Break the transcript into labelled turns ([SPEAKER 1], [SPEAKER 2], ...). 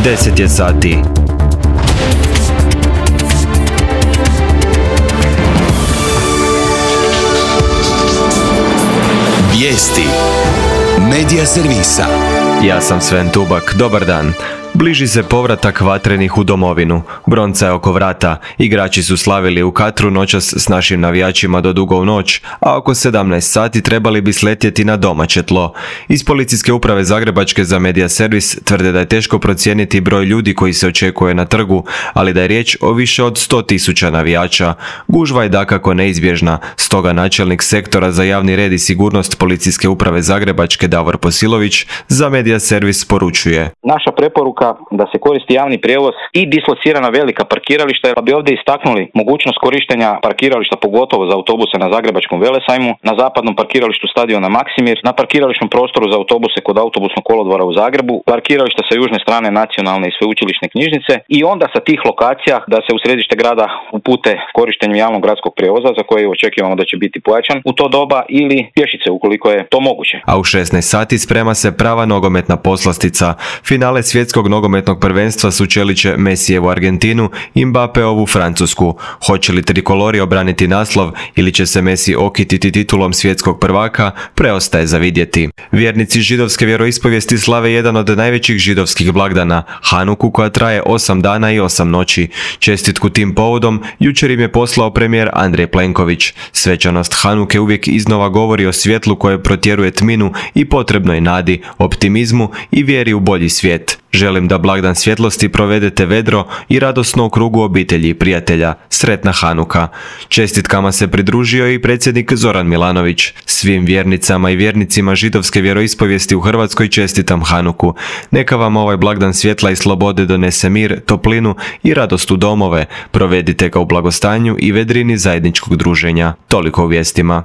[SPEAKER 1] 10 je sati.
[SPEAKER 2] Vijesti Medija servisa.
[SPEAKER 1] Ja sam Sven Tubak, dobar dan. Bliži se povratak vatrenih u domovinu. Bronca je oko vrata. Igrači su slavili u Katru noćas s našim navijačima do dugo u noć, a oko 17 sati trebali bi sletjeti na domaće tlo. Iz Policijske uprave Zagrebačke za Medija servis tvrde da je teško procijeniti broj ljudi koji se očekuje na trgu, ali da je riječ o više od 100.000 navijača. Gužva je dakako neizbježna, stoga načelnik sektora za javni red i sigurnost Policijske uprave Zagrebačke Davor Posilović za Medija servis poručuje.
[SPEAKER 3] Naša preporuka da se koristi javni prijevoz i dislocirana velika parkirališta, pa bi ovdje istaknuli mogućnost korištenja parkirališta pogotovo za autobuse na Zagrebačkom Velesajmu, na zapadnom parkiralištu stadiona Maksimir, na parkirališnom prostoru za autobuse kod autobusnog kolodvora u Zagrebu, parkirališta sa južne strane nacionalne i sveučilišne knjižnice i onda sa tih lokacija da se u središte grada upute korištenjem javnog gradskog prijevoza za koje očekujemo da će biti pojačan u to doba ili pješice ukoliko je to moguće.
[SPEAKER 1] A u 16 sati sprema se prava nogometna poslastica. Finale svjetskog nogometnog prvenstva sučelit će Messijevu Argentinu i Mbappéovu Francusku. Hoće li trikolori obraniti naslov ili će se Messi okititi titulom svjetskog prvaka, preostaje za vidjeti. Vjernici židovske vjeroispovijesti slave jedan od najvećih židovskih blagdana, Hanuku, koja traje 8 dana i 8 noći. Čestitku tim povodom jučer im je poslao premijer Andrej Plenković. Svečanost Hanuke uvijek iznova govori o svjetlu koje protjeruje tminu i potrebnoj nadi, optimizmu i vjeri u bolji svijet. Želim da blagdan svjetlosti provedete vedro i radosno u krugu obitelji i prijatelja. Sretna Hanuka. Čestitkama se pridružio i predsjednik Zoran Milanović. Svim vjernicama i vjernicima židovske vjeroispovijesti u Hrvatskoj čestitam Hanuku. Neka vam ovaj blagdan svjetla i slobode donese mir, toplinu i radost u domove. Provedite ga u blagostanju i vedrini zajedničkog druženja. Toliko u vijestima.